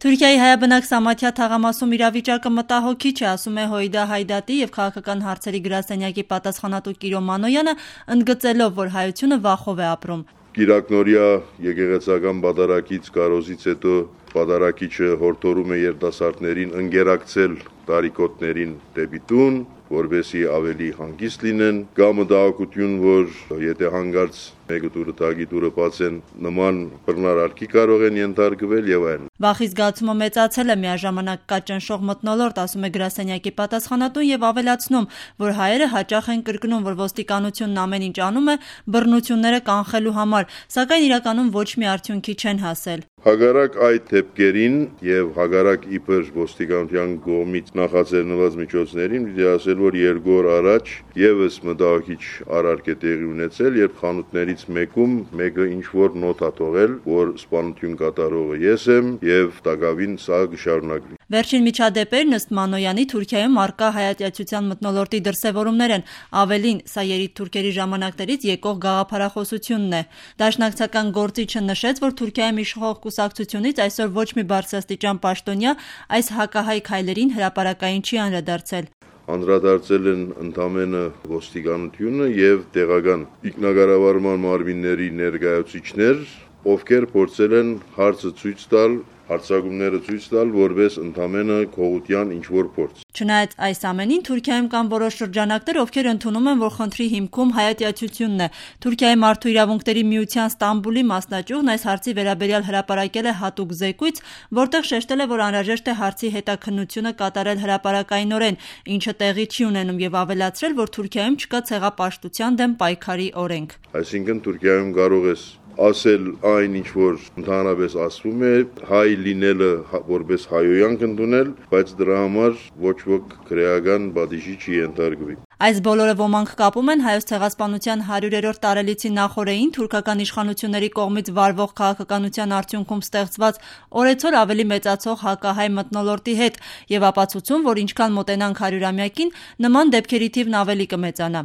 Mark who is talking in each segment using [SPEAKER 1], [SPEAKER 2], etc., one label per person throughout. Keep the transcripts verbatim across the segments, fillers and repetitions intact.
[SPEAKER 1] Թուրքիայի հայաբնակ Սամաթիա թաղամասում իրավիճակը մտահոգիչ է, ասում է Հոյդա Հայդատի և քաղաքական հարցերի գրասենյակի պատասխանատու Կիրո Մանոյանը, ընդգծելով, որ հայությունը վախով է ապրում։
[SPEAKER 2] Կիրակնօրյա եկեղեցական պատարագից կարոզից հետո պատարագիչը հորդորում է երիտասարդներին ընկերակցել տարիքոտներին դեպի տուն, որպեսզի ավելի հանգիստ լինեն, կա մտահոգություն, որ եթե հանկարծ մեկը դուրը տագի դուրը բացեն, նման բռնարարքի կարող են ենթարկվել եւ այլն։
[SPEAKER 1] Վախի զգացումը մեծացել է, միաժամանակ կա ճնշող մթնոլորտ, ասում է գրասենյակի պատասխանատուն եւ ավելացնում, որ հայերը հաճախ են կրկնում, որ ոստիկանությունն ամեն ինչ անում է բռնությունները կանխելու համար, սակայն իրականում ոչ մի արդյունքի չեն հասել։
[SPEAKER 2] Հակառակ այդ դեպքերին եւ հակառակ իբր ոստիկանության կողմից նախաձեռնված միջոցներին պիտի ասել, որ երկու օր առաջ եւս մտահոգիչ արարք է տեղի ունեցել, երբ խանութներից մեկում մեկը ինչ որ նոթ ա թողել, որ սպանություն կատարողը ես եմ եւ տակավին սա կշարունակվի։
[SPEAKER 1] Վերջին միջադեպերն ըստ Մանոյանի Թուրքիայում առկա հայատյացության մթնոլորտի դրսևորումներ են, ավելին, սա երիտթուրքերի ժամանակներից եկող գաղափարախոսությունն է։ Դաշնակցական գործիչը նշեց, որ Թուրքիայում իշխող կուսակցությունից այսօր ոչ մի բարձրաստիճան պաշտոնյա այս հակահայ քայլերին հրապարակային չի անդրադարձել։
[SPEAKER 2] Անդրադարձել են ընդամենը ոստիկանությունը եւ տեղական ինքնակառավարման մարմինների ներկայացուցիչներ, ովքեր փորձել են հարցը ցույց տալ, հարցակումները ցույց տալ, որպես ընդամենը քողության ինչ-որ փորձ։
[SPEAKER 1] Չնայած այս ամենին, Թուրքիայում կան որոշ շրջանակներ, ովքեր ընդունում են, որ խնդրի հիմքում հայատյացությունն է։ Թուրքիայի մարդու իրավունքների միության Ստամբուլի մասնաճյուղն այս հարցի վերաբերյալ հրապարակել է հատուկ զեկույց, որտեղ շեշտել է, որ անհրաժեշտ է հարցի հետաքննությունը կատարել հրապարակայնորեն, ինչը տեղի չի ունենում, եւ ավելացրել, որ Թուրքիայում չկա ցեղապաշտության դեմ պայքարի օրենք։
[SPEAKER 2] Այսինքն Թուրքիայում կարող ես ասել այն, ինչ որ ընդհանրապես ասվում է, հայ լինելը որպես հայոյանք ընդունել, բայց դրա համար ոչ ոք քրեական բադիժի չի ենթարկվի։
[SPEAKER 1] Այս բոլորը ոմանք կապում են հայոց ցեղասպանության հարյուրերորդ տարելիցի նախօրեին թուրքական իշխանությունների կողմից վարվող քաղաքականության արդյունքում ստեղծված օրեցօր ավելի մեծացող հակահայ մթնոլորտի հետ եւ ապացուցում, որ ինչքան մոտենանք հարյուրամյակին, նման դեպքերի թիվն ավելի կմեծանա։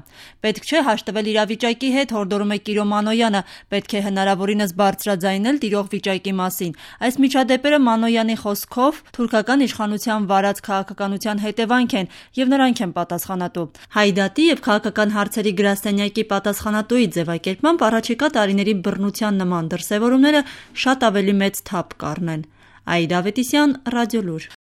[SPEAKER 1] Պետք չէ հաշտվել իրավիճակի հետ, հորդորում է Կիրո Մանոյանը, պետք է հնարավորինս բարձրաձայնել տիրող վիճակի մասին։ Այս միջադեպերը Մանոյանի խոսքով թուրքական իշխանության վարած քաղաքականության հետևանք են եւ նրանք են պատասխանատու։ Հայդատի եւ քաղաքական հարցերի գրասենյակի պատասխանատուի ձևակերպմամբ առաջիկա տարիների բռնության նման դրսևորումները շատ ավելի մեծ թափ կառնեն։ Այդա Ավետիսյան, Ռադիոլուր։